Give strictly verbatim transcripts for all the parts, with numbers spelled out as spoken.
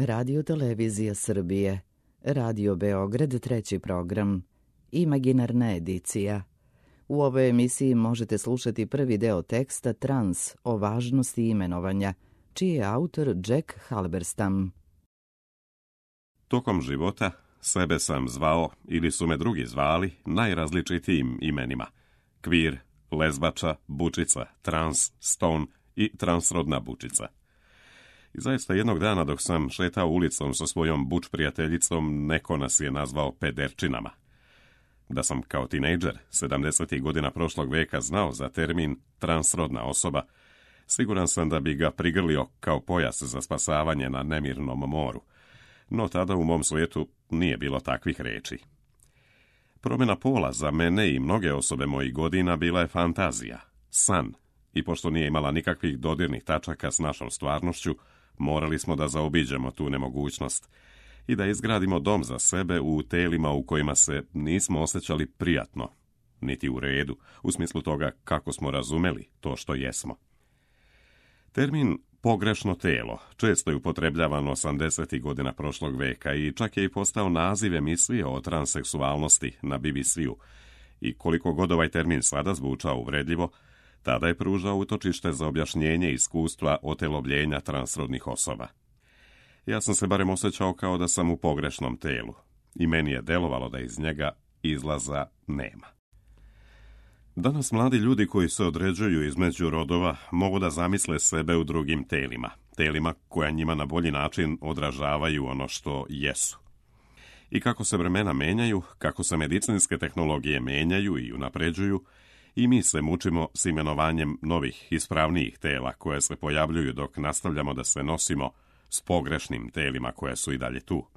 Radio Televizija Srbije, Radio Beograd, treći program, imaginarna edicija. U ovoj emisiji možete slušati prvi deo teksta Trans o važnosti imenovanja, čiji je autor Jack Halberstam. Tokom života sebe sam zvao, ili su me drugi zvali, najrazličitijim imenima. Kvir, lezbača, bučica, trans, stone i transrodna bučica. I zaista jednog dana dok sam šetao ulicom sa svojom buč prijateljicom, neko nas je nazvao pederčinama. Da sam kao tinejdžer sedamdesetih godina prošlog veka znao za termin transrodna osoba, siguran sam da bi ga prigrlio kao pojas za spasavanje na nemirnom moru. No tada u mom svijetu nije bilo takvih reči. Promjena pola za mene i mnoge osobe mojih godina bila je fantazija, san, i pošto nije imala nikakvih dodirnih tačaka s našom stvarnošću, morali smo da zaobiđemo tu nemogućnost i da izgradimo dom za sebe u telima u kojima se nismo osjećali prijatno, niti u redu, u smislu toga kako smo razumeli to što jesmo. Termin pogrešno telo često je upotrebljavan osamdesetih godina prošlog veka i čak je i postao naziv emisije o transseksualnosti na B B C-u. I koliko god ovaj termin sada zvučao uvredljivo, tada je pružao utočište za objašnjenje iskustva otelovljenja transrodnih osoba. Ja sam se barem osjećao kao da sam u pogrešnom telu i meni je delovalo da iz njega izlaza nema. Danas mladi ljudi koji se određuju između rodova mogu da zamisle sebe u drugim telima, telima koja njima na bolji način odražavaju ono što jesu. I kako se vremena menjaju, kako se medicinske tehnologije menjaju i unapređuju, i mi se mučimo s imenovanjem novih, ispravnijih tela koje se pojavljuju dok nastavljamo da se nosimo s pogrešnim telima koje su i dalje tu.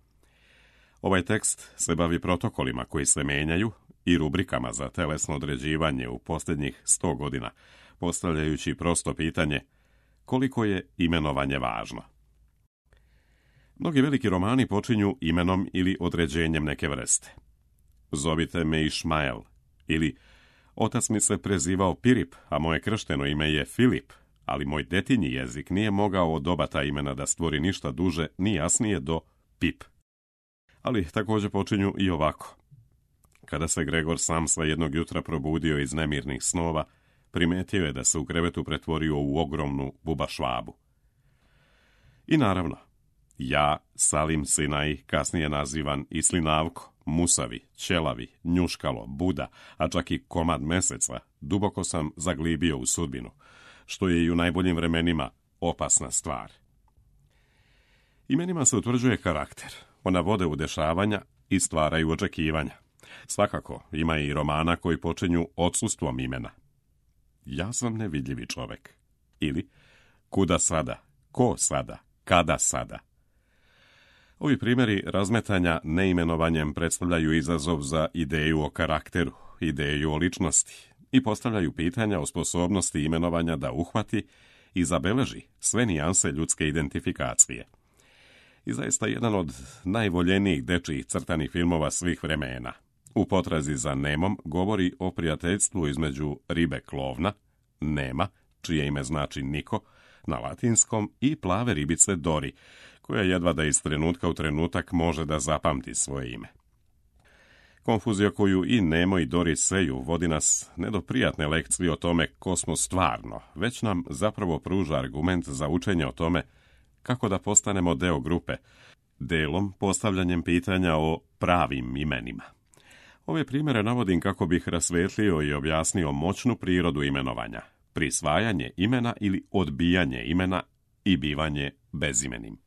Ovaj tekst se bavi protokolima koji se menjaju i rubrikama za telesno određivanje u posljednjih sto godina, postavljajući prosto pitanje koliko je imenovanje važno. Mnogi veliki romani počinju imenom ili određenjem neke vrste. Zovite me Išmael, ili otac mi se prezivao Pirip, a moje kršteno ime je Filip, ali moj detinji jezik nije mogao od oba ta imena da stvori ništa duže ni jasnije do Pip. Ali također počinju i ovako. Kada se Gregor Samsa jednog jutra probudio iz nemirnih snova, primetio je da se u krevetu pretvorio u ogromnu buba švabu. I naravno, ja, Salim Sinaj, kasnije nazivan i Slinavko, Musavi, Ćelavi, Njuškalo, Buda, a čak i komad meseca, duboko sam zaglibio u sudbinu, što je i u najboljim vremenima opasna stvar. Imenima se utvrđuje karakter, ona vode u dešavanja i stvaraju očekivanja. Svakako, ima i romana koji počinju odsustvom imena. Ja sam nevidljivi čovek. Ili, kuda sada, ko sada, kada sada. Ovi primjeri razmetanja neimenovanjem predstavljaju izazov za ideju o karakteru, ideju o ličnosti i postavljaju pitanja o sposobnosti imenovanja da uhvati i zabeleži sve nijanse ljudske identifikacije. I zaista jedan od najvoljenijih dečjih crtanih filmova svih vremena, U potrazi za Nemom, govori o prijateljstvu između ribe klovna, Nema, čije ime znači Niko, na latinskom, i plave ribice Dori, koja jedva da iz trenutka u trenutak može da zapamti svoje ime. Konfuzija koju i Nemo i Dori seju vodi nas ne do prijatne lekcije o tome ko smo stvarno, već nam zapravo pruža argument za učenje o tome kako da postanemo deo grupe, delom postavljanjem pitanja o pravim imenima. Ove primjere navodim kako bih rasvetlio i objasnio moćnu prirodu imenovanja, prisvajanje imena ili odbijanje imena i bivanje bezimenim.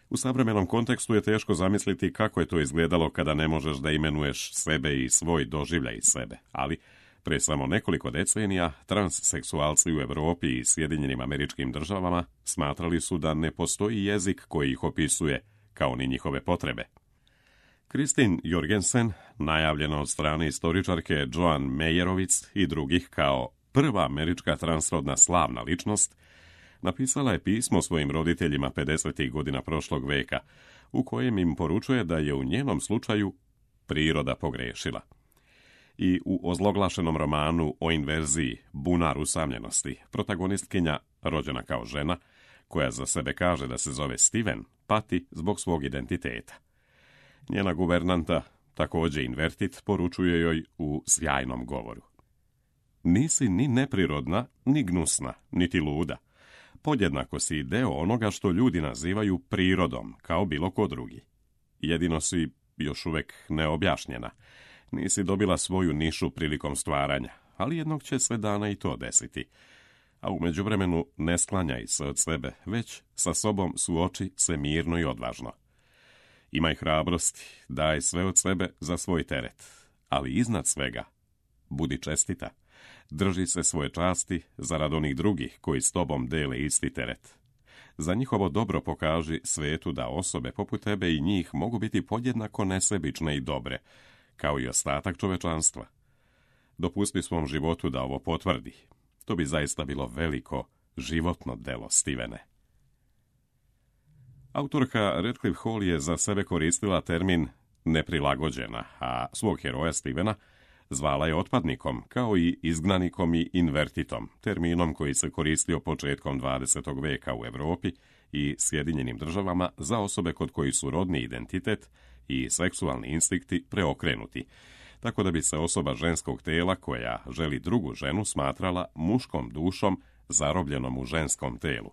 U savremenom kontekstu je teško zamisliti kako je to izgledalo kada ne možeš da imenuješ sebe i svoj doživljaj sebe, ali pre samo nekoliko decenija transseksualci u Europi i Sjedinjenim Američkim Državama smatrali su da ne postoji jezik koji ih opisuje, kao ni njihove potrebe. Kristin Jorgensen, najavljena od strane istoričarke Joan Mejerovic i drugih kao prva američka transrodna slavna ličnost, napisala je pismo svojim roditeljima pedesetih godina prošlog veka, u kojem im poručuje da je u njenom slučaju priroda pogrešila. I u ozloglašenom romanu o inverziji Bunar usamljenosti, protagonistkinja, rođena kao žena, koja za sebe kaže da se zove Steven, pati zbog svog identiteta. Njena guvernanta, također invertit, poručuje joj u sjajnom govoru: nisi ni neprirodna, ni gnusna, niti luda. Podjednako si deo onoga što ljudi nazivaju prirodom, kao bilo ko drugi. Jedino si još uvijek neobjašnjena. Nisi dobila svoju nišu prilikom stvaranja, ali jednog će se dana i to desiti. A u međuvremenu ne sklanjaj se od sebe, već sa sobom suoči se mirno i odvažno. Imaj hrabrosti, daj sve od sebe za svoj teret, ali iznad svega budi čestita. Drži se svoje časti zarad onih drugih koji s tobom dele isti teret. Za njihovo dobro pokaži svetu da osobe poput tebe i njih mogu biti podjednako nesebične i dobre, kao i ostatak čovečanstva. Dopusti svom životu da ovo potvrdi. To bi zaista bilo veliko životno delo, Stevene. Autorka Redcliffe Hall je za sebe koristila termin neprilagođena, a svog heroja Stevena zvala je otpadnikom, kao i izgnanikom i invertitom, terminom koji se koristio početkom dvadesetog veka u Europi i Sjedinjenim državama za osobe kod koji su rodni identitet i seksualni instinkti preokrenuti, tako da bi se osoba ženskog tela koja želi drugu ženu smatrala muškom dušom zarobljenom u ženskom telu,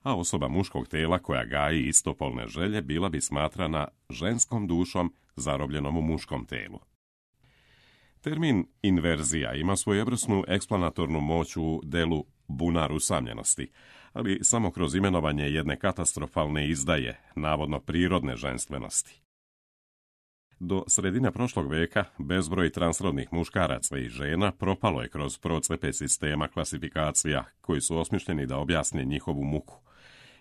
a osoba muškog tela koja gaji istopolne želje bila bi smatrana ženskom dušom zarobljenom u muškom telu. Termin inverzija ima svojevrsnu eksplanatornu moć u delu Bunar usamljenosti, ali samo kroz imenovanje jedne katastrofalne izdaje, navodno prirodne ženstvenosti. Do sredine prošlog veka bezbroj transrodnih muškaraca i žena propalo je kroz procepe sistema klasifikacija koji su osmišljeni da objasne njihovu muku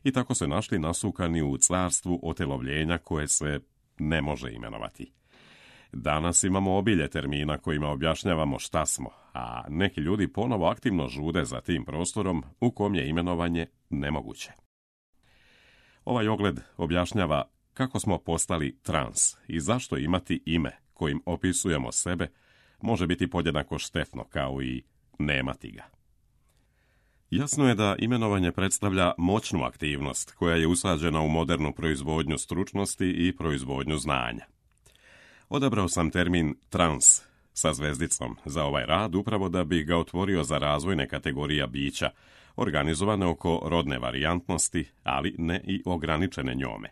i tako se našli nasukani u carstvu otelovljenja koje se ne može imenovati. Danas imamo obilje termina kojima objašnjavamo šta smo, a neki ljudi ponovo aktivno žude za tim prostorom u kom je imenovanje nemoguće. Ovaj ogled objašnjava kako smo postali trans i zašto imati ime kojim opisujemo sebe može biti podjednako štetno kao i nemati ga. Jasno je da imenovanje predstavlja moćnu aktivnost koja je usađena u modernu proizvodnju stručnosti i proizvodnju znanja. Odabrao sam termin trans sa zvezdicom za ovaj rad upravo da bi ga otvorio za razvojne kategorija bića, organizovane oko rodne varijantnosti, ali ne i ograničene njome.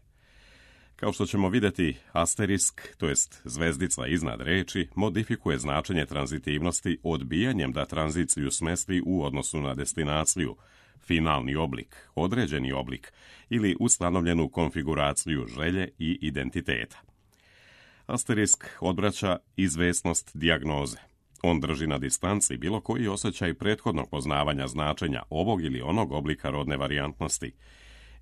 Kao što ćemo vidjeti, asterisk, to jest zvezdica iznad reči, modifikuje značenje tranzitivnosti odbijanjem da tranziciju smesti u odnosu na destinaciju, finalni oblik, određeni oblik ili ustanovljenu konfiguraciju želje i identiteta. Asterisk odvraća izvesnost dijagnoze. On drži na distanci bilo koji osjećaj prethodnog poznavanja značenja ovog ili onog oblika rodne varijantnosti.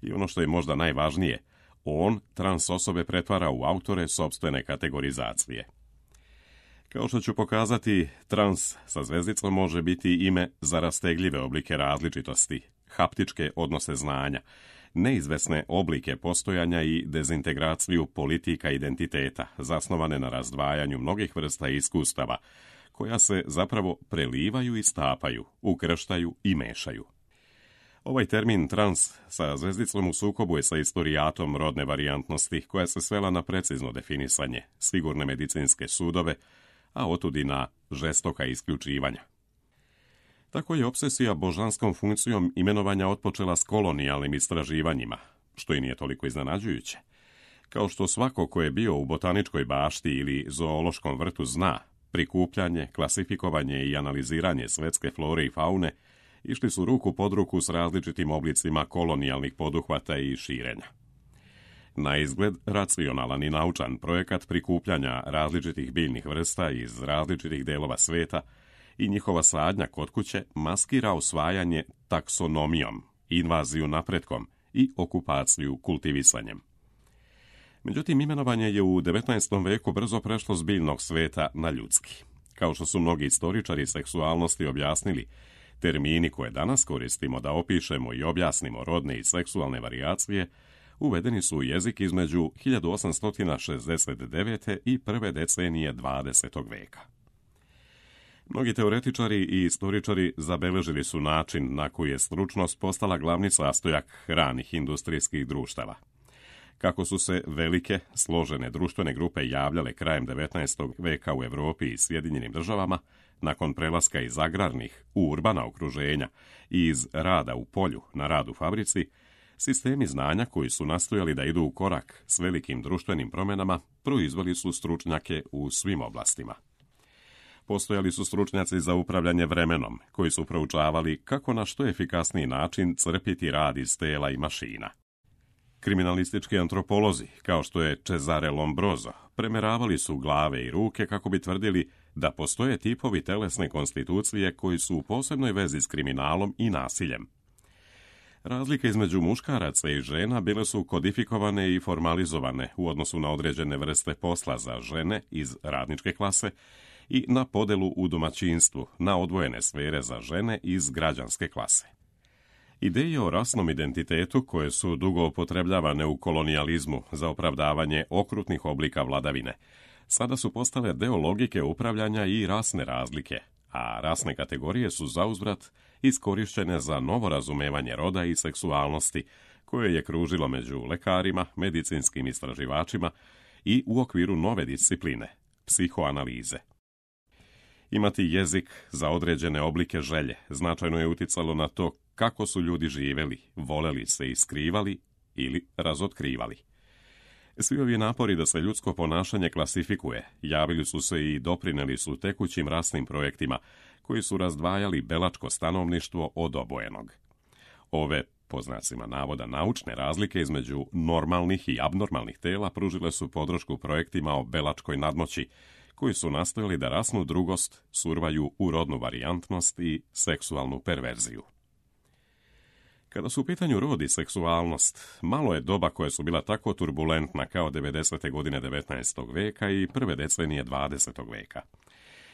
I ono što je možda najvažnije, on trans osobe pretvara u autore sopstvene kategorizacije. Kao što ću pokazati, trans sa zvezdicom može biti ime za rastegljive oblike različitosti, haptičke odnose znanja, neizvesne oblike postojanja i dezintegraciju politika identiteta, zasnovane na razdvajanju mnogih vrsta iskustava, koja se zapravo prelivaju i stapaju, ukrštaju i mešaju. Ovaj termin trans sa zvezdicom u sukobu je sa historijatom rodne varijantnosti, koja se svela na precizno definisanje, sigurne medicinske sudove, a otud i na žestoka isključivanja. Tako je obsesija božanskom funkcijom imenovanja otpočela s kolonijalnim istraživanjima, što i nije toliko iznenađujuće. Kao što svako ko je bio u botaničkoj bašti ili zoološkom vrtu zna, prikupljanje, klasifikovanje i analiziranje svetske flore i faune išli su ruku pod ruku s različitim oblicima kolonijalnih poduhvata i širenja. Na izgled racionalan i naučan projekat prikupljanja različitih biljnih vrsta iz različitih delova sveta i njihova sadnja kod kuće maskira usvajanje taksonomijom, invaziju napretkom i okupaciju kultivisanjem. Međutim, imenovanje je u devetnaestom veku brzo prešlo s biljnog sveta na ljudski. Kao što su mnogi istoričari seksualnosti objasnili, termini koje danas koristimo da opišemo i objasnimo rodne i seksualne varijacije uvedeni su u jezik između hiljadu osamsto šezdeset devete. i prve decenije dvadesetog veka. Mnogi teoretičari i istoričari zabeležili su način na koji je stručnost postala glavni sastojak ranih industrijskih društava. Kako su se velike, složene društvene grupe javljale krajem devetnaestog veka u Europi i Sjedinjenim državama, nakon prelaska iz agrarnih u urbana okruženja i iz rada u polju na rad u fabrici, sistemi znanja koji su nastojali da idu u korak s velikim društvenim promjenama proizveli su stručnjake u svim oblastima. Postojali su stručnjaci za upravljanje vremenom, koji su proučavali kako na što efikasniji način crpiti rad iz tela i mašina. Kriminalistički antropolozi, kao što je Cesare Lombroso, premeravali su glave i ruke kako bi tvrdili da postoje tipovi telesne konstitucije koji su u posebnoj vezi s kriminalom i nasiljem. Razlike između muškaraca i žena bile su kodifikovane i formalizovane u odnosu na određene vrste posla za žene iz radničke klase i na podelu u domaćinstvu na odvojene sfere za žene iz građanske klase. Ideje o rasnom identitetu, koje su dugo upotrebljavane u kolonijalizmu za opravdavanje okrutnih oblika vladavine, sada su postale deo logike upravljanja i rasne razlike, a rasne kategorije su zauzvrat iskorišćene za novo razumevanje roda i seksualnosti, koje je kružilo među lekarima, medicinskim istraživačima i u okviru nove discipline, psihoanalize. Imati jezik za određene oblike želje značajno je uticalo na to kako su ljudi živjeli, voleli se i skrivali ili razotkrivali. Svi ovi napori da se ljudsko ponašanje klasifikuje javili su se i doprineli su tekućim rasnim projektima koji su razdvajali belačko stanovništvo od obojenog. Ove, po znacima navoda, naučne razlike između normalnih i abnormalnih tela pružile su podršku projektima o belačkoj nadmoći, koji su nastojali da rasnu drugost survaju u rodnu varijantnost i seksualnu perverziju. Kada su u pitanju rod i seksualnost, malo je doba koja su bila tako turbulentna kao devedesete godine devetnaestog veka i prve decenije dvadesetog veka.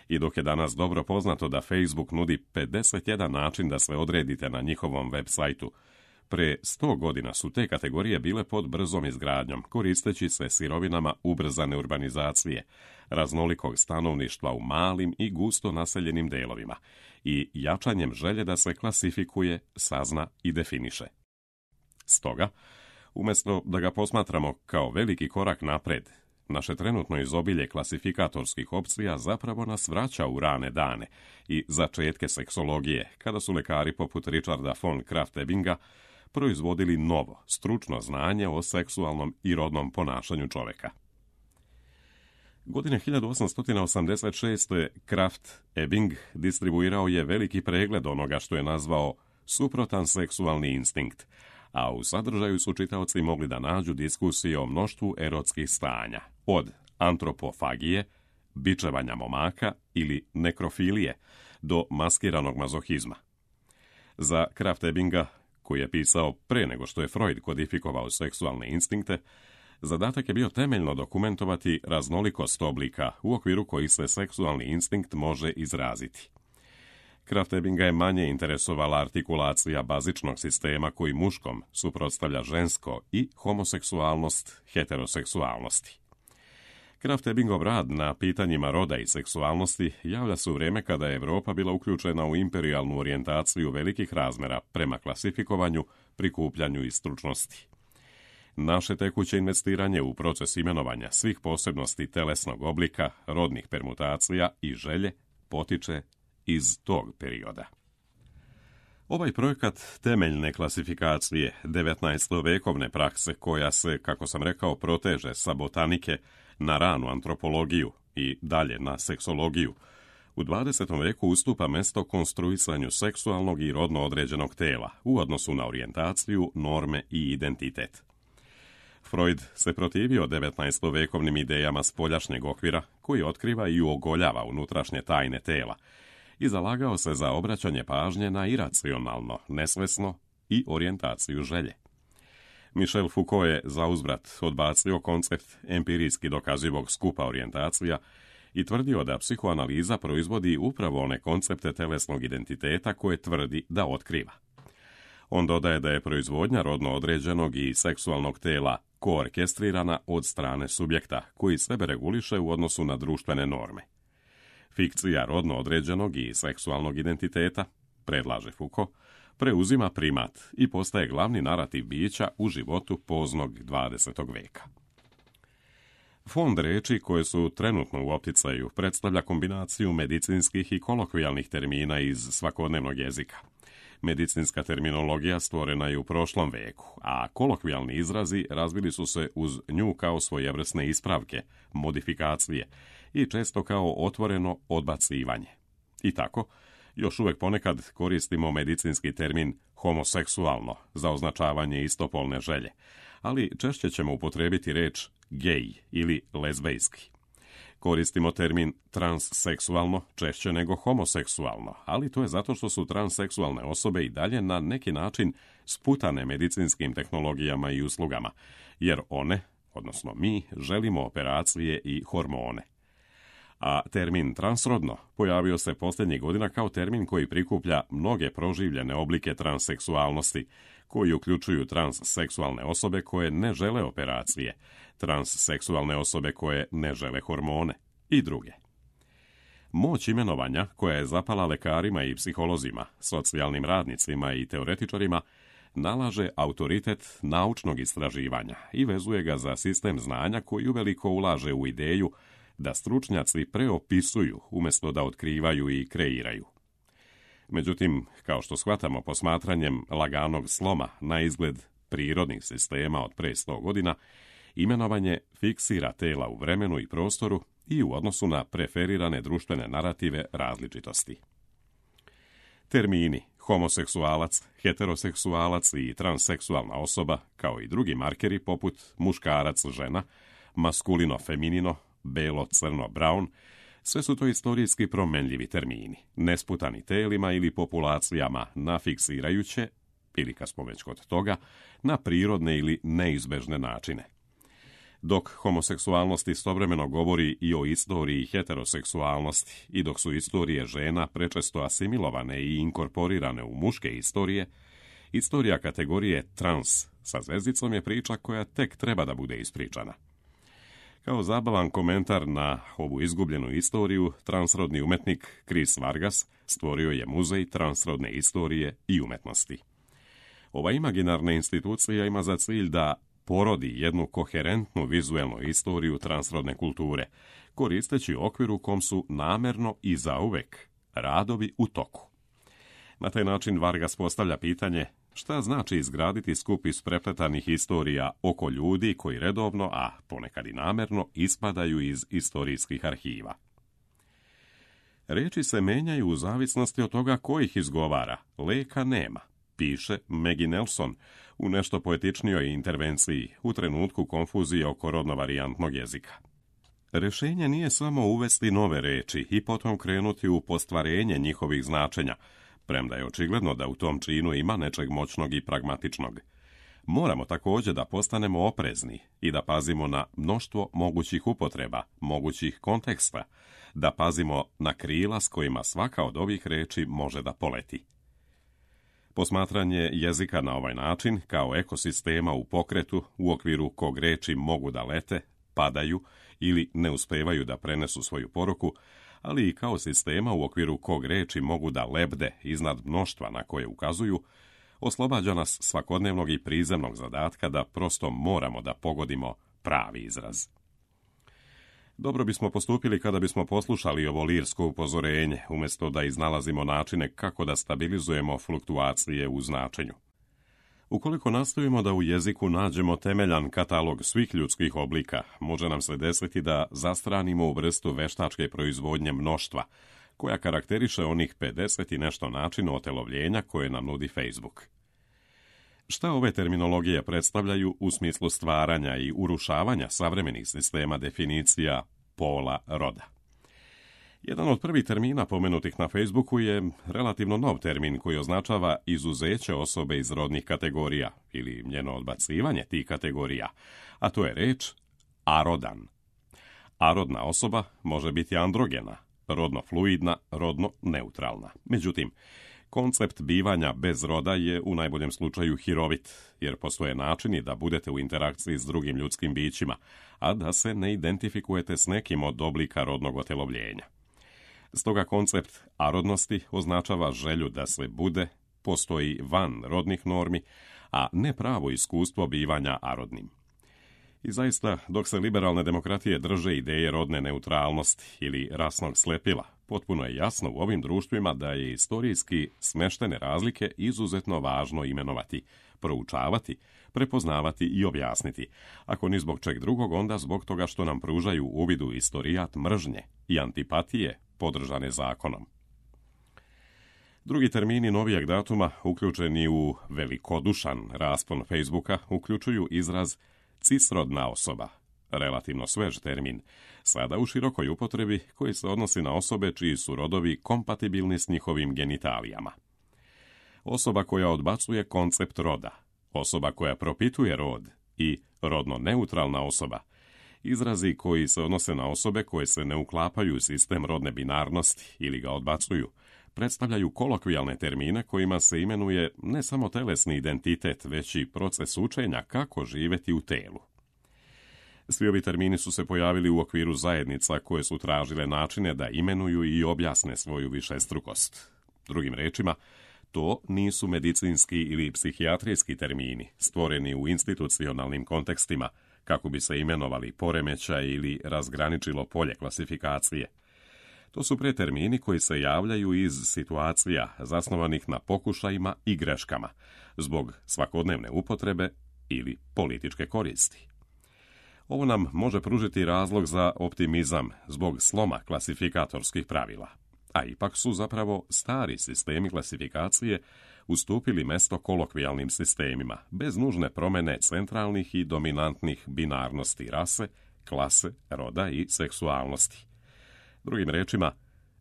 I dok je danas dobro poznato da Facebook nudi pedeset jedan način da se odredite na njihovom web sajtu, pre sto godina su te kategorije bile pod brzom izgradnjom, koristeći se sirovinama ubrzane urbanizacije, raznolikog stanovništva u malim i gusto naseljenim delovima i jačanjem želje da se klasifikuje, sazna i definiše. Stoga, umjesto da ga posmatramo kao veliki korak napred, naše trenutno izobilje klasifikatorskih opcija zapravo nas vraća u rane dane i začetke seksologije, kada su lekari poput Richarda von Krafft-Ebinga proizvodili novo, stručno znanje o seksualnom i rodnom ponašanju čovjeka. Godine hiljadu osamsto osamdeset šeste. Krafft-Ebing distribuirao je veliki pregled onoga što je nazvao suprotan seksualni instinkt, a u sadržaju su čitaoci mogli da nađu diskusije o mnoštvu erotskih stanja, od antropofagije, bičevanja momaka ili nekrofilije, do maskiranog mazohizma. Za Krafft-Ebinga, koji je pisao pre nego što je Freud kodifikovao seksualne instinkte, zadatak je bio temeljno dokumentovati raznolikost oblika u okviru kojih se seksualni instinkt može izraziti. Krafft-Ebinga je manje interesovala artikulacija bazičnog sistema koji muškom suprotstavlja žensko i homoseksualnost heteroseksualnosti. Krafft-Ebingov rad na pitanjima roda i seksualnosti javlja se u vrijeme kada je Europa bila uključena u imperijalnu orijentaciju velikih razmera prema klasifikovanju, prikupljanju i stručnosti. Naše tekuće investiranje u proces imenovanja svih posebnosti telesnog oblika, rodnih permutacija i želje potiče iz tog perioda. Ovaj projekat temeljne klasifikacije devetnaestovekovne prakse koja se, kako sam rekao, proteže sa botanike na ranu antropologiju i dalje na seksologiju, u dvadesetom veku ustupa mesto konstruisanju seksualnog i rodno određenog tela u odnosu na orijentaciju, norme i identitet. Freud se protivio devetnaestovekovnim idejama spoljašnjeg okvira koji otkriva i uogoljava unutrašnje tajne tela i zalagao se za obraćanje pažnje na iracionalno, nesvesno i orijentaciju želje. Michel Foucault je zauzvrat odbacio koncept empirijski dokazivog skupa orijentacija i tvrdio da psihoanaliza proizvodi upravo one koncepte telesnog identiteta koje tvrdi da otkriva. On dodaje da je proizvodnja rodno određenog i seksualnog tela koorkestrirana od strane subjekta koji sebe reguliše u odnosu na društvene norme. Fikcija rodno određenog i seksualnog identiteta, predlaže Foucault, preuzima primat i postaje glavni narativ bića u životu poznog dvadesetog veka. Fond reči koje su trenutno u opticaju predstavlja kombinaciju medicinskih i kolokvijalnih termina iz svakodnevnog jezika. Medicinska terminologija stvorena je u prošlom veku, a kolokvijalni izrazi razvili su se uz nju kao svojevrsne ispravke, modifikacije i često kao otvoreno odbacivanje. I tako, još uvijek ponekad koristimo medicinski termin homoseksualno za označavanje istopolne želje, ali češće ćemo upotrijebiti reč gej ili lezbejski. Koristimo termin transseksualno češće nego homoseksualno, ali to je zato što su transseksualne osobe i dalje na neki način sputane medicinskim tehnologijama i uslugama, jer one, odnosno mi, želimo operacije i hormone. A termin transrodno pojavio se posljednjih godina kao termin koji prikuplja mnoge proživljene oblike transseksualnosti, koji uključuju transseksualne osobe koje ne žele operacije, transseksualne osobe koje ne žele hormone i druge. Moć imenovanja, koja je zapala lekarima i psiholozima, socijalnim radnicima i teoretičarima, nalaže autoritet naučnog istraživanja i vezuje ga za sistem znanja koji uveliko ulaže u ideju da stručnjaci preopisuju umjesto da otkrivaju i kreiraju. Međutim, kao što shvatamo posmatranjem laganog sloma na izgled prirodnih sistema od pre sto godina, imenovanje fiksira tela u vremenu i prostoru i u odnosu na preferirane društvene narative različitosti. Termini homoseksualac, heteroseksualac i transseksualna osoba, kao i drugi markeri poput muškarac, žena, maskulino-feminino, belo, crno, brown, sve su to istorijski promenljivi termini, nesputani telima ili populacijama na fiksirajuće, ili kad smo već kod toga, na prirodne ili neizbežne načine. Dok homoseksualnost istovremeno govori i o istoriji heteroseksualnosti i dok su istorije žena prečesto asimilovane i inkorporirane u muške istorije, istorija kategorije trans sa zvezdicom je priča koja tek treba da bude ispričana. Kao zabavan komentar na ovu izgubljenu istoriju, transrodni umetnik Chris Vargas stvorio je muzej transrodne istorije i umetnosti. Ova imaginarna institucija ima za cilj da porodi jednu koherentnu vizuelnu istoriju transrodne kulture, koristeći okvir u kom su namerno i zauvek radovi u toku. Na taj način Vargas postavlja pitanje šta znači izgraditi skup isprepletanih istorija oko ljudi koji redovno, a ponekad i namerno, ispadaju iz istorijskih arhiva. Reči se menjaju u zavisnosti od toga ko ih izgovara, leka nema, piše Maggie Nelson u nešto poetičnijoj intervenciji u trenutku konfuzije oko rodno-varijantnog jezika. Rešenje nije samo uvesti nove reči i potom krenuti u postvarenje njihovih značenja, premda je očigledno da u tom činu ima nečeg moćnog i pragmatičnog. Moramo također da postanemo oprezni i da pazimo na mnoštvo mogućih upotreba, mogućih konteksta, da pazimo na krila s kojima svaka od ovih reči može da poleti. Posmatranje jezika na ovaj način, kao ekosistema u pokretu, u okviru kog reči mogu da lete, padaju ili ne uspevaju da prenesu svoju poruku, ali i kao sistema u okviru kog reči mogu da lebde iznad mnoštva na koje ukazuju, oslobađa nas svakodnevnog i prizemnog zadatka da prosto moramo da pogodimo pravi izraz. Dobro bismo postupili kada bismo poslušali ovo lirsko upozorenje, umjesto da iznalazimo načine kako da stabilizujemo fluktuacije u značenju. Ukoliko nastojimo da u jeziku nađemo temeljan katalog svih ljudskih oblika, može nam se desiti da zastranimo u vrstu veštačke proizvodnje mnoštva, koja karakteriše onih pedeset i nešto načina otelovljenja koje nam nudi Facebook. Šta ove terminologije predstavljaju u smislu stvaranja i urušavanja savremenih sistema definicija pola roda? Jedan od prvih termina pomenutih na Facebooku je relativno nov termin koji označava izuzeće osobe iz rodnih kategorija ili njeno odbacivanje tih kategorija, a to je reč arodan. Arodna osoba može biti androgena, rodno fluidna, rodno neutralna. Međutim, koncept bivanja bez roda je u najboljem slučaju hirovit, jer postoje načini da budete u interakciji s drugim ljudskim bićima, a da se ne identifikujete s nekim od oblika rodnog otelovljenja. Stoga koncept arodnosti označava želju da se bude, postoji van rodnih normi, a ne pravo iskustvo bivanja arodnim. I zaista, dok se liberalne demokratije drže ideje rodne neutralnosti ili rasnog slepila, potpuno je jasno u ovim društvima da je istorijski smeštene razlike izuzetno važno imenovati, proučavati, prepoznavati i objasniti, ako ni zbog čeg drugog, onda zbog toga što nam pružaju uvid u istorijat mržnje i antipatije podržane zakonom. Drugi termini novijeg datuma, uključeni u velikodušan raspon Facebooka, uključuju izraz cisrodna osoba, relativno svež termin, sada u širokoj upotrebi koji se odnosi na osobe čiji su rodovi kompatibilni s njihovim genitalijama. Osoba koja odbacuje koncept roda, osoba koja propituje rod i rodno neutralna osoba, izrazi koji se odnose na osobe koje se ne uklapaju u sistem rodne binarnosti ili ga odbacuju, predstavljaju kolokvijalne termine kojima se imenuje ne samo telesni identitet, već i proces učenja kako živjeti u telu. Svi ovi termini su se pojavili u okviru zajednica koje su tražile načine da imenuju i objasne svoju višestrukost. Drugim rečima, to nisu medicinski ili psihijatrijski termini, stvoreni u institucionalnim kontekstima, kako bi se imenovali poremećaj ili razgraničilo polje klasifikacije. To su pretermini koji se javljaju iz situacija zasnovanih na pokušajima i greškama, zbog svakodnevne upotrebe ili političke koristi. Ovo nam može pružiti razlog za optimizam zbog sloma klasifikatorskih pravila, a ipak su zapravo stari sistemi klasifikacije ustupili mesto kolokvijalnim sistemima, bez nužne promjene centralnih i dominantnih binarnosti rase, klase, roda i seksualnosti. Drugim rečima,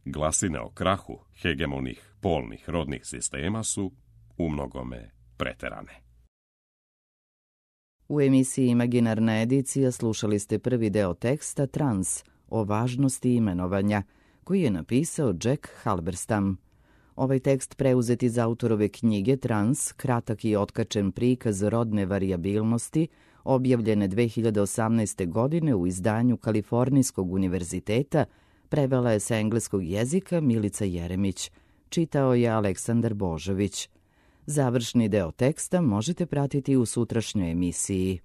glasine o krahu hegemonih polnih rodnih sistema su umnogome preterane. U emisiji Imaginarna edicija slušali ste prvi deo teksta Trans o važnosti imenovanja, koji je napisao Jack Halberstam. Ovaj tekst preuzet iz autorove knjige Trans, kratak i otkačen prikaz rodne varijabilnosti, objavljene dve hiljade osamnaeste. godine u izdanju Kalifornijskog univerziteta, prevela je sa engleskog jezika Milica Jeremić. Čitao je Aleksandar Božović. Završni deo teksta možete pratiti u sutrašnjoj emisiji.